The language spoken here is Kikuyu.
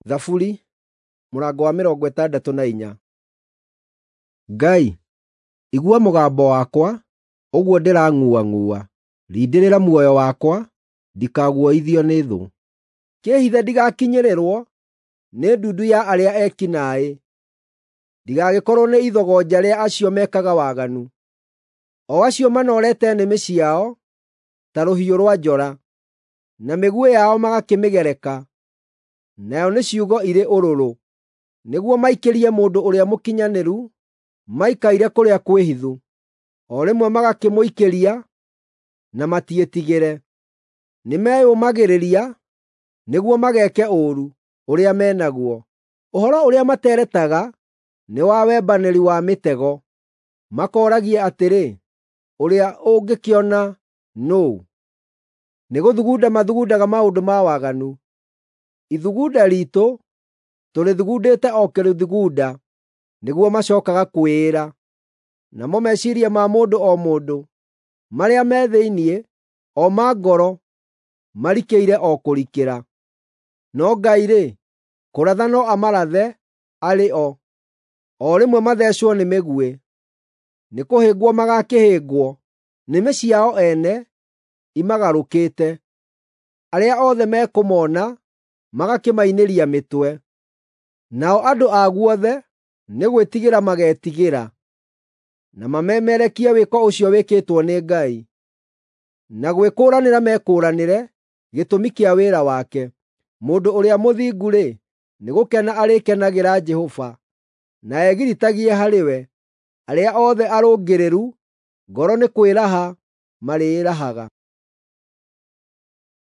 Thaburi mũrango wa 64. Ngai, igua mũgambo wakwa, ũguo ndĩrang'uang'ua; rindĩrĩra muoyo wakwa, ndikaguoyoithio nĩ thũ. Kĩĩhithe ndigakinyĩrĩrwo nĩ ndundu ya arĩa eki naaĩ, ndigagĩkorwo nĩ ithogonja rĩa acio mekaga waganu, o acio manoorete nĩmĩ ciao ta rũhiũ rwa njora, na mĩguĩ yao magakĩmĩgereka, nayo nĩ ciugo irĩ ũrũrũ, nĩguo maikĩrie mũndũ ũrĩa mũkinyanĩru maikaire kũrĩa kwĩhithu. O rĩmwe magakĩmũikĩria na matiĩtigĩre. Nĩmeyũmagĩrĩria nĩguo mageeke ũũru ũrĩa me naguo. Ũhoro ũrĩa materetaga nĩ wa wembanĩri wa mĩtego. Makooragia atĩrĩ, “Ũrĩa ũngĩkĩona nũũ?” Nĩgũthugunda mathugundaga maũndũ ma waganu. Ithugunda riitũ tũrĩthugundĩte o kũrĩthugunda, nĩguo macookaga kwĩĩra. Namo meciiria ma mũndũ o mũndũ marĩa me thĩinĩ, o ma ngoro, marikĩire o kũrikĩra. No Ngai-rĩ, kũratha no amarathe arĩ o, o rĩmwe matheecwo nĩ mĩguĩ. Nĩkũhĩngwo magaakĩhĩngwo, nĩmĩ ciao ene imagarũkĩte. Arĩa othe mekũmona magakĩmainĩria mĩtwe. Nao andũ a guothe nĩ gwĩtigĩra mageetigĩra, na mamemerekie wĩko ũcio wĩkĩtwo nĩ Ngai, na gwĩkũũranĩra mekũũranĩre gĩtũmi kĩa wĩra wake. Mũndũ ũrĩa mũthingu-rĩ, nĩgũkena arĩkenagĩra Jehova, na egiritagie harĩ we. Arĩa othe arũngĩrĩru ngoro nĩ kwĩraha marĩĩrahaga.